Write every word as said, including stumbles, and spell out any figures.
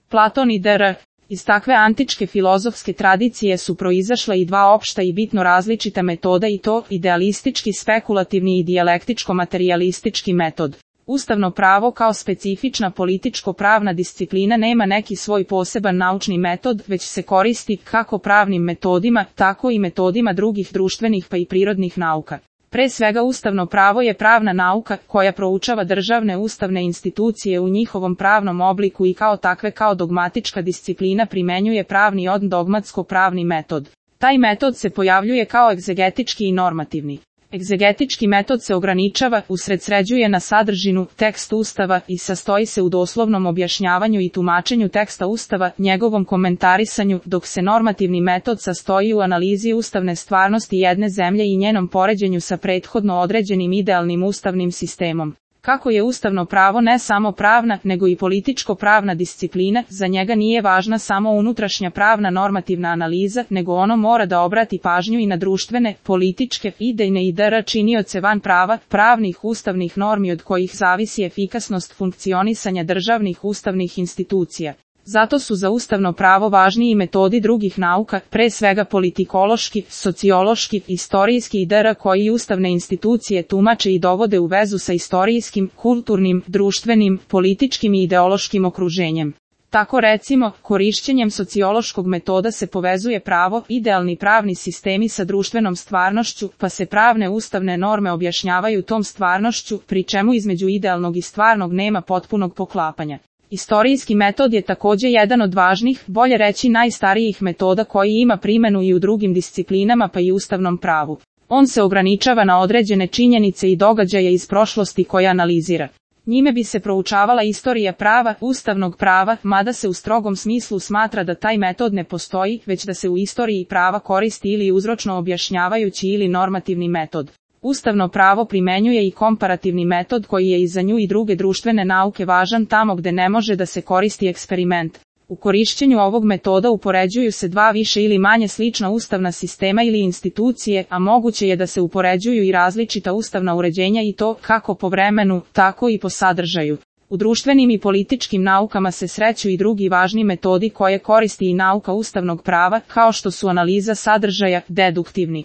Platon i dr. Iz takve antičke filozofske tradicije su proizašla i dva opšta i bitno različita metoda i to idealistički spekulativni i dijalektičko-materijalistički metod. Ustavno pravo kao specifična političko-pravna disciplina nema neki svoj poseban naučni metod, već se koristi kako pravnim metodima, tako i metodima drugih društvenih pa i prirodnih nauka. Pre svega ustavno pravo je pravna nauka koja proučava državne ustavne institucije u njihovom pravnom obliku i kao takve kao dogmatička disciplina primenjuje pravni od dogmatsko-pravni metod. Taj metod se pojavljuje kao egzegetički i normativni. Egzegetički metod se ograničava, usredsređuje na sadržinu, tekst Ustava i sastoji se u doslovnom objašnjavanju i tumačenju teksta Ustava, njegovom komentarisanju, dok se normativni metod sastoji u analizi ustavne stvarnosti jedne zemlje i njenom poređenju sa prethodno određenim idealnim ustavnim sistemom. Kako je ustavno pravo ne samo pravna, nego i političko-pravna disciplina, za njega nije važna samo unutrašnja pravna normativna analiza, nego ono mora da obrati pažnju i na društvene, političke, idejne i dr. činioce van prava, pravnih ustavnih normi od kojih zavisi efikasnost funkcionisanja državnih ustavnih institucija. Zato su za ustavno pravo važni i metodi drugih nauka, pre svega politikološki, sociološki, istorijski i dr. koji ustavne institucije tumače i dovode u vezu sa istorijskim, kulturnim, društvenim, političkim i ideološkim okruženjem. Tako recimo, korišćenjem sociološkog metoda se povezuje pravo, idealni pravni sistemi sa društvenom stvarnošću, pa se pravne ustavne norme objašnjavaju tom stvarnošću, pri čemu između idealnog i stvarnog nema potpunog poklapanja. Istorijski metod je takođe jedan od važnih, bolje reći najstarijih metoda koji ima primenu i u drugim disciplinama pa i ustavnom pravu. On se ograničava na određene činjenice i događaje iz prošlosti koje analizira. Njime bi se proučavala istorija prava, ustavnog prava, mada se u strogom smislu smatra da taj metod ne postoji, već da se u istoriji prava koristi ili uzročno objašnjavajući ili normativni metod. Ustavno pravo primenjuje i komparativni metod koji je i za nju i druge društvene nauke važan tamo gde ne može da se koristi eksperiment. U korišćenju ovog metoda upoređuju se dva više ili manje slična ustavna sistema ili institucije, a moguće je da se upoređuju i različita ustavna uređenja i to kako po vremenu, tako i po sadržaju. U društvenim i političkim naukama se sreću i drugi važni metodi koje koristi i nauka ustavnog prava, kao što su analiza sadržaja, deduktivni